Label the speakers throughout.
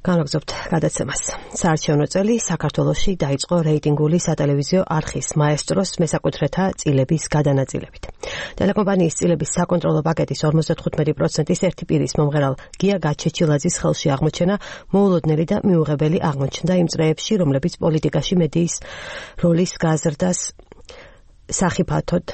Speaker 1: განაგზობთ გადაცემას. საარჩევნო წელი საქართველოში დაიწყო რეიტინგული სატელევიზიო არხის მაესტროს მესაკუთრეთა წილების გადანაწილებით. ტელეკომპანიის წილების საკონტროლო პაკეტის 55%-ის ერთი პირის მომღერალ გია გაჩეჩილაძის ხელში აღმოჩენა მოულოდნელი და მიუღებელი აღმოჩნდა იმ წრეებში, რომლებიც პოლიტიკაში მედიის როლის გაზრდას სახიფათოდ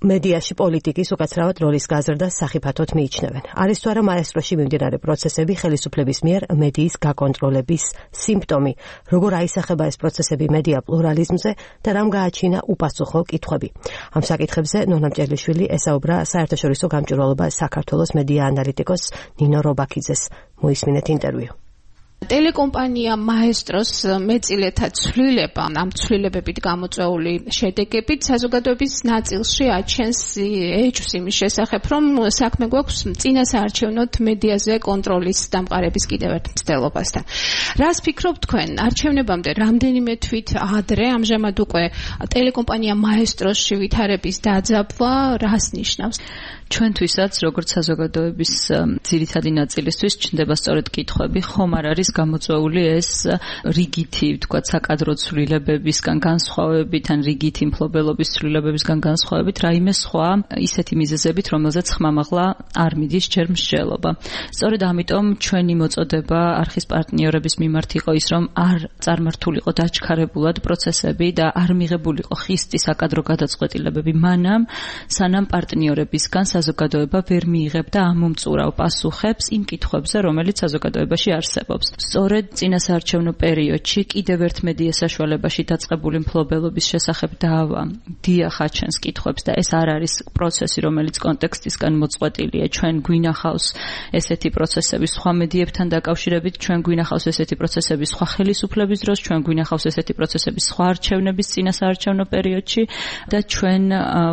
Speaker 1: მედიაში პოლიტიკის უკაცრავად როლის გაზრდას სახიფათოდ მიიჩნევენ. არის თუ არა მაესტროში მიმდინარე პროცესები ხელისუფლების მიერ მედიის გაკონტროლების სიმპტომი, როგორ აისახება ეს პროცესები მედია პლურალიზმზე და რამ გააჩინა უპასუხო კითხვები. ამ საკითხებზე ნონა მჭერლიშვილი ესაუბრა საერთაშორისო გამჭვირვალობა საქართველოს მედია ანალიტიკოს ნინო რობაქიძეს. მოისმინეთ ინტერვიუ.
Speaker 2: ტელეკომპანია მაესტროს მეწილეთა ცვლილება, ამ ცვლილებებით გამოწვეული შედეგებით საზოგადოების ნაწილში აჩენს ეჭვს იმის შესახებ, რომ საქმე გვაქვს წინასაარჩევნოთ მედიაზე კონტროლის დამყარების კიდევ ერთ მცდელობასთან. რას ფიქრობთ თქვენ? არჩევნებამდე რამდენიმე თვით ადრე, ამჟამად უკვე ტელეკომპანია მაესტროსში ვითარების დაძაბვა რას ნიშნავს?
Speaker 3: ჩვენთვისაც, როგორც საზოგადოების ძირითადი ნაწილისთვის, ჩნდება სწორედ კითხვები, ხომ არ არის გამოწვეული ეს რიგითი, ვთქვათ, საკადრო ცვლილებებისგან განსხვავებით, ან რიგითი მფლობელობის ცვლილებებისგან განსხვავებით, რაიმე სხვა ისეთი მიზეზებით, რომელზეც ხმამაღლა არ მიდის ჯერ მსჯელობა. სწორედ ამიტომ ჩვენი მოწოდება არხის პარტნიორების მიმართ იყო ის, რომ არ წარმართულიყო დაჩქარებულად პროცესები და არ მიღებულიყო ხისტი საკადრო გადაწყვეტილებები მანამ, სანამ პარტნიორებისგან საზოგადოება ვერ მიიღებდა ამომწურავ პასუხებს იმ კითხვებზე, რომელიც საზოგადოებაში არსებობს. სწორედ წინასაარჩევნო პერიოდში კიდევ ერთ მედია საშუალებაში დაწყებული მფლობელობის შესახებ დავა დიახ აჩენს კითხვებს და ეს არ არის პროცესი, რომელიც კონტექსტისგან მოწყვეტილია. ჩვენ გვინახავს ესეთი პროცესები სხვა მედიებთან დაკავშირებით, ჩვენ გვინახავს ესეთი პროცესები სხვა ხელისუფლების დროს, ჩვენ გვინახავს ესეთი პროცესები სხვა არჩევნების წინასაარჩევნო პერიოდში და ჩვენ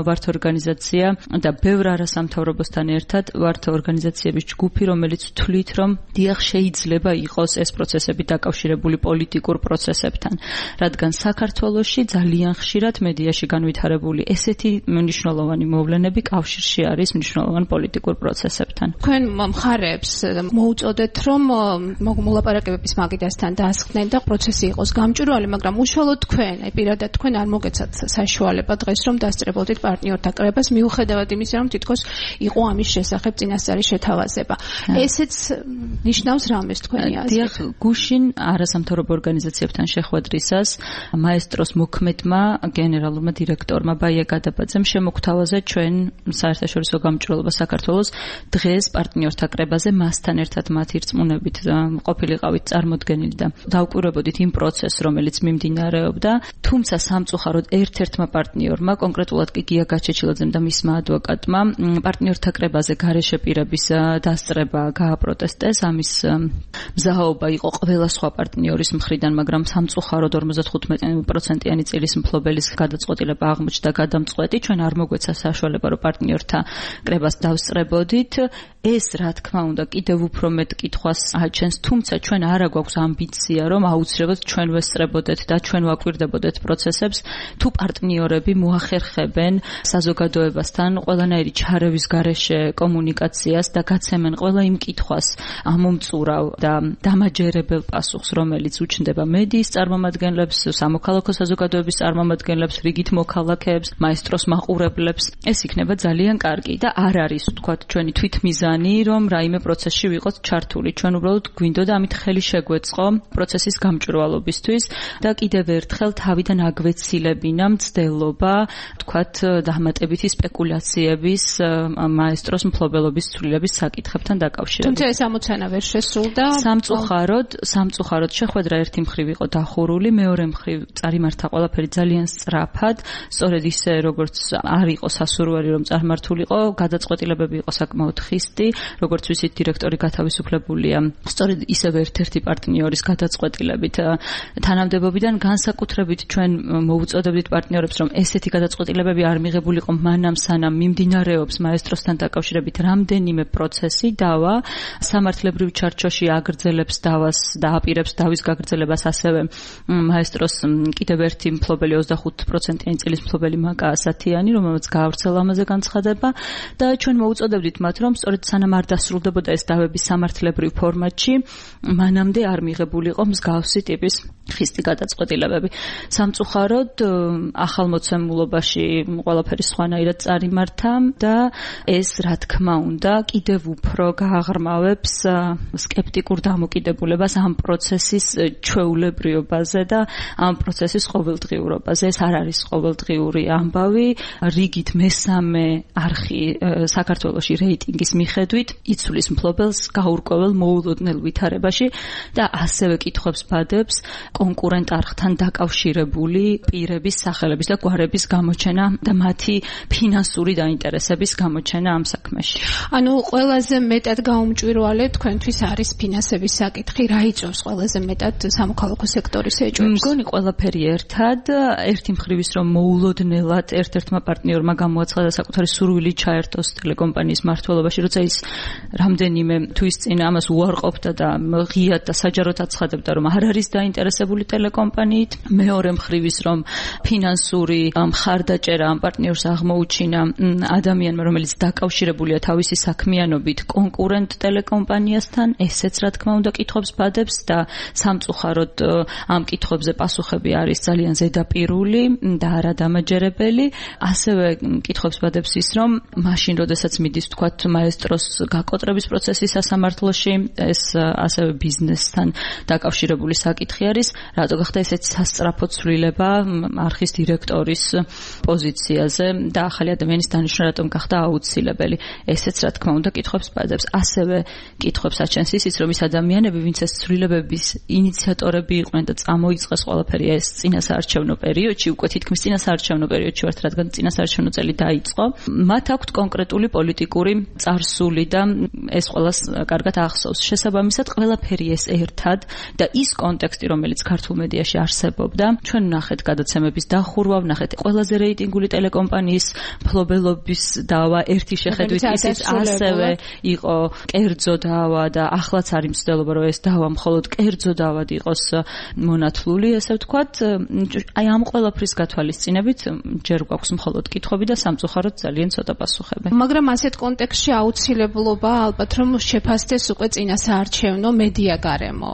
Speaker 3: ვართ ორგანიზაცია და ბევრ არასამთავრობოსთან ერთად ვართ ორგანიზაციების ჯგუფი, რომელიც თვლით, რომ დიახ შეიძლება იყოს ეს პროცესები დაკავშირებული პოლიტიკურ პროცესებთან, რადგან საქართველოში ძალიან ხშირად მედიაში განვითარებული ესეთი მნიშვნელოვანი მოვლენები კავშირში არის მნიშვნელოვან პოლიტიკურ პროცესებთან.
Speaker 2: თქვენ მხარეებს მოუწოდეთ, რომ მოლაპარაკებების მაგიდასთან დაასხდნენ და პროცესი იყოს გამჭვირვალე, მაგრამ უშუალოდ თქვენ, პირადად თქვენ არ მოგეცათ საშუალება დღეს, რომ დასწრებოდით პარტნიორთა კრებას, მიუხედავად იმისა, რომ თითქოს იყო ამის შესახებ წინასწარი შეთავაზება. ესეც ნიშნავს რამეს თქვენი აზრით?
Speaker 3: დიახ, გუშინ არასამთავრობო ორგანიზაციებთან შეხვედრისას მაესტროს მოქმედმა გენერალურმა დირექტორმა ბაია გადაბაძემ შემოგთავაზა ჩვენ საერთაშორისო გამჭვირვალობა საქართველოს დღეს პარტნიორთა კრებაზე მასთან ერთად მათი რწმუნებით ყოფილიყავით წარმოდგენილი და დავკვირვებოდით იმ პროცესს, რომელიც მიმდინარეობდა, თუმცა სამწუხაროდ ერთ-ერთმა პარტნიორმა, კონკრეტულად კი გია გაჩეჩილაძემ და მისმა ადვოკატმა პარტნიორთა კრებაზე გარეშე პირების დასწრება გააპროტესტეს. ამის მზაობა იყო ყველა სხვა პარტნიორის მხრიდან, მაგრამ სამწუხაროდ 55%-იანი წილის მფლობელის გადაწყვეტილება აღმოჩნდა გადამწყვეტი. ჩვენ არ მოგვეცა საშუალება, რომ პარტნიორთა კრებას დავსწრებოდით. ეს, რა თქმა უნდა, კიდევ უფრო მეტ კითხვას აჩენს, თუმცა ჩვენ არა გვაქვს ამბიცია, რომ აუცილებლად ჩვენ ვესწრებოდეთ და ჩვენ ვაკვირდებოდეთ პროცესებს, თუ პარტნიორები მოახერხებენ საზოგადოებასთან ყველანაირი ჩარევის გარეშე კომუნიკაციას და გაცემენ ყველა იმ კითხვას ამომწურავ და დამაჯერებელ პასუხს, რომელიც უჩნდება მედიის წარმომადგენლებს, სამოქალაქო საზოგადოების წარმომადგენლებს, რიგით მოქალაქეებს, მაესტროს მაყურებლებს. ეს იქნება ძალიან კარგი და არ არის, ვთქვათ, ჩვენი თვითმიზანი, რომ რაიმე პროცესში ვიყოთ ჩართული. ჩვენ უბრალოდ გვინდოდა ამით ხელი შეგვეწყო პროცესის გამჭვირვალობისთვის და კიდევ ერთხელ თავიდან აგვეცილებინა მცდელობა, ვთქვათ, დამატებითი სპეკულაციების მაესტროს მფლობელობის ცვლილების საკითხებთან დაკავშირებით.
Speaker 2: თუმცა ეს ამოცანა ვერ შესრულდა.
Speaker 3: სამწუხაროდ შეხვედრა ერთი მხრივ იყო დახურული, მეორე მხრივ წარიმართა ყველაფერი ძალიან სწრაფად, სწორედ ისე როგორც არ იყო სასურველი, რომ წარმართულიყო, გადაწყვეტილებები იყო საკმაოდ ხისტი, როგორც ვიცით, დირექტორი გათავისუფლებულია სწორედ ისევ ერთ-ერთი პარტნიორის გადაწყვეტილებით. თანამდებობიდან განსაკუთრებით ჩვენ მოუწოდებდით პარტნიორებს, რომ ესეთი გადაწყვეტილებები არ მიღებულიყო მანამ, სანამ მიმდინარეობს მაესტროსთან დაკავშირებით რამდენიმე პროცესი, დავა სამართლებრივ ჩარჩოში აგრძელებს დავას და აპირებს დავის გაგრძელებას, ასევე მაესტროს კიდევ ერთი მფლობელი 25%-იანი წილის მფლობელი მაკა ასათიანი, რომელსაც გაავრცელა ამაზე განცხადება და ჩვენ მოუწოდებდით მათ, რომ სწორედ სანამ არ დასრულდებოდა ეს დავების სამართლებრივ ფორმატში, მანამდე არ მიღებულიყო მსგავსი ტიპის ხისტი გადაწყვეტილებები. სამწუხაროდ ახალმოცემულობაში ყველაფერი სხვანაირად წარიმართა და ეს რა თქმა უნდა კიდევ უფრო გააღრმავებს სკეპტიკურ დამოკიდებულებას ამ პროცესის ჩვეულებრიობაზე და ამ პროცესის ყოველდღიურობაზე. ეს არ არის ყოველდღიური ამბავი. რიგით მესამე არხი საქართველოში რეიტინგის მიხედვით იცვლის მფლობელს გაურკვეველ მოულოდნელ ვითარებაში და ასევე კითხვებს ბადებს კონკურენტ არხთან დაკავშირებული პირების სახელების და გვარების გამოჩენა და მათი ფინანსური დაინტერესების გამოჩენა ამ საქმეში.
Speaker 2: ანუ ყველაზე მეტად გაუმჭვირვალე თქვენთვის არის ფინანსების საკითხი, რა იწვევს ყველაზე მეტად სამოქალაქო სექტორის ეჭვებს?
Speaker 3: მგონი ყველაფერი ერთად, ერთი მხრივ ის რომ მოულოდნელად ერთ-ერთმა პარტნიორმა გამოაცხადა საკუთარი სურვილი ჩაერთოს ტელეკომპანიის მმართველობაში, როცა ის რამდენიმე თვის წინ ამას უარყოფდა და ღიად და საჯაროდ აცხადებდა, რომ არ არის დაინტერესებული ტელეკომპანიით. მეორე მხრივ ის რომ ფინანსური მხარდაჭერა ამ პარტნიორს აღმოუჩინა ადამიანმა, რომელიც დაკავშირებულია თავისი საქმიანობით კონკურენტ ტელეკომპანიასთან, ესეც რა თქმა უნდა კითხვებს ბადებს და სამწუხაროდ ამ კითხვებზე პასუხები არის ძალიან ზედაპირული და არადამაჯერებელი. ასევე კითხვებს ბადებს ის რომ მაშინ როდესაც მიდის თქვათ მაესტროს გაკოტრების პროცესი სასამართლოში, ეს ასევე ბიზნესთან დაკავშირებული საკითხი არის, რატო გახდა ესეც სასწრაფო ცვლილება არხის დირექტორის პოზიციაზე და ახალი ადამიანის დანიშვნა რატომ გახდა აუცილებელი. ესეც რა თქმა უნდა კითხვებს ბადებს. ასევე კითხვებს აჩენს ისიც რომ ის ადამიანები, ვინც ეს ცვლილებების ინიციატორები იყვნენ და წამოიწყეს ყველაფერი ეს წინასაარჩევნო პერიოდში, უკვე თითქმის წინასაარჩევნო პერიოდში ვართ, რადგან წინასაარჩევნო წელი დაიწყო, მათ აქვთ კონკრეტული პოლიტიკური წარსული და ეს ყველას კარგად ახსოვს. შესაბამისად, ყველაფერი ეს ერთად და ის კონტექსტი, რომელიც ქართულ მედიაში არსებობდა, ჩვენ ვნახეთ გადაცემების დახურვა, ვნახეთ ყველაზე რეიტინგული ტელეკომპანიის მფლობელობის დავა ერთი შეხედვით ისიც ასევე იყო კერძო დავა და ახლაც არის მცდელობა, რომ ეს დავა მხოლოდ კერძო დავად იყოს მონათლული, ესე ვთქვათ. აი ამ ყველაფრის გათვალისწინებით ჯერ გვაქვს მხოლოდ კითხვები და სამწუხაროდ ძალიან ცოტა პასუხები.
Speaker 2: მაგრამ ასეთ კონტექსტში აუცილებლობა ალბათ რომ შეფასდეს უკვე წინასაარჩევნო მედია გარემო.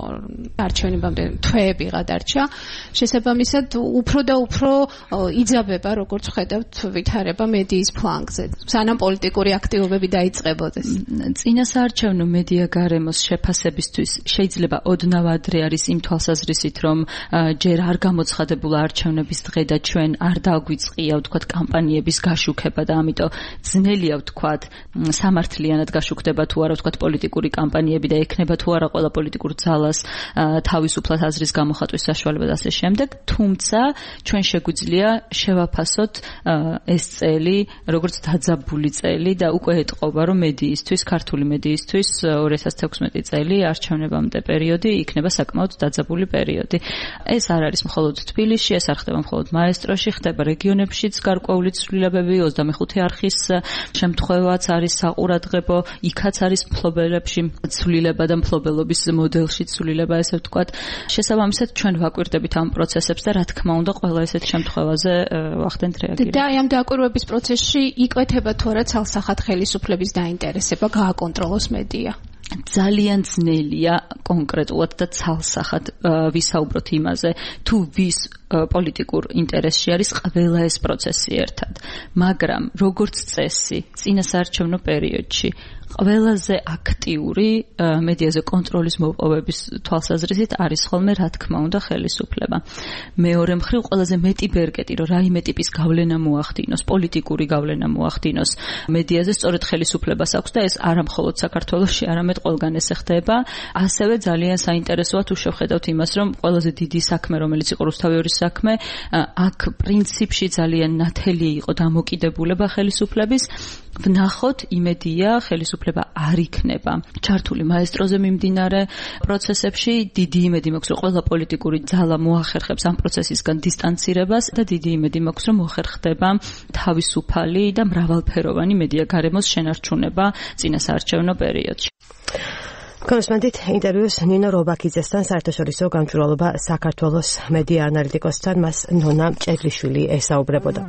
Speaker 2: არჩევნებამდე თვეები გადარჩა. შესაბამისად უფრო და უფრო იძაბება, როგორც ხედავთ, ვითარება მედიის ფლანგზე. სანამ პოლიტიკური აქტივობები დაიწყებოდეს.
Speaker 3: წინასაარჩევნო მედია გარემოს შეფასებისთვის შეიძლება ოდნავ ადრე არის იმ თვალსაზრისით, რომ ჯერ არ გამოცხადებულა არჩევნების დღე და ჩვენ არ დაგვიწყია, ვთქვათ, კამპანიების გაშუქება და ამიტომ ძნელია, ვთქვათ, სამართლიანად გაშუქდება თუ არა, ვთქვათ, პოლიტიკური კამპანიები და ექნება თუ არა ყველა პოლიტიკურ ძალას თავისუფლად აზრის გამოხატვის საშუალება და ასე შემდეგ. თუმცა ჩვენ შეგვიძლია შევაფასოთ ეს წელი როგორც დაძაბული წელი და უკვე ეტყობა, რომ მედიისთვის, ქართული მედიისთვის 2016 წელი არჩევნებამდე პერიოდი იქნება საკმაოდ დაძაბული პერიოდი. ეს არ არის მხოლოდ თბილისში, ეს არ ხდება მხოლოდ მაესტროში, ხდება რეგიონებშიც გარკვეული ცვლილებები, 25 არხის შემთხვევაც არის საყურადღებო, იქაც არის მფლობელებში ცვლილება და მფლობელობის მოდელში ცვლილება, ესე ვთქვათ. შესაბამისად, ჩვენ ვაკვირდებით ამ პროცესებს და რა თქმა უნდა, ყველა ესეთ შემთხვევაზე ვახდენთ რეაგირება.
Speaker 2: და ამ დაკვირვების პროცესში იკვეთება თუ არა ცალსახად ხელისუფლების დაინტერესება გააკონტროლოს მედია.
Speaker 3: ძალიან ძნელია კონკრეტულად და ცალსახად ვისაუბროთ იმაზე, თუ ვის პოლიტიკურ ინტერესში არის ყველა ეს პროცესი ერთად. მაგრამ როგორც წესი, წინასაარჩევნო პერიოდში ყველაზე აქტიური მედიაზე კონტროლის მოპოვების თვალსაზრისით არის ხოლმე რა თქმა უნდა ხელისუფლება. მეორე მხრივ ყველაზე მეტი ბერკეტი, რომ რაიმე ტიპის გავლენა მოახდინოს, პოლიტიკური გავლენა მოახდინოს მედიაზე, სწორედ ხელისუფლებას აქვს და ეს არა მხოლოდ საქართველოში, არამედ ყველგან ესე ხდება. ასევე ძალიან საინტერესოა თუ შევხედავთ იმას, რომ ყველაზე დიდი საქმე, რომელიც იყო რუსთავიორის საქმე, აქ პრინციპში ძალიან ნათელი იყო დამოკიდებულება ხელისუფლების. ვნახოთ იმედია ხელისუფლება არ იქნება ჩართული მაესტროზე მიმდინარე პროცესებში. დიდი იმედი მაქვს, რომ ყველა პოლიტიკური ძალა მოახერხებს ამ პროცესისგან დისტანცირებას და დიდი იმედი მაქვს, რომ მოხერხდება თავისუფალი და მრავალფეროვანი მედია გარემოს შენარჩუნება წინასაარჩევნო პერიოდში.
Speaker 1: კონსტანტით ინტერვიუს ნინო რობაქიძესთან, საერთაშორისო გამჭვირვალობა საქართველოს მედია ანალიტიკოსთან, მას ნონა ჭედლიშვილი ესაუბრებოდა.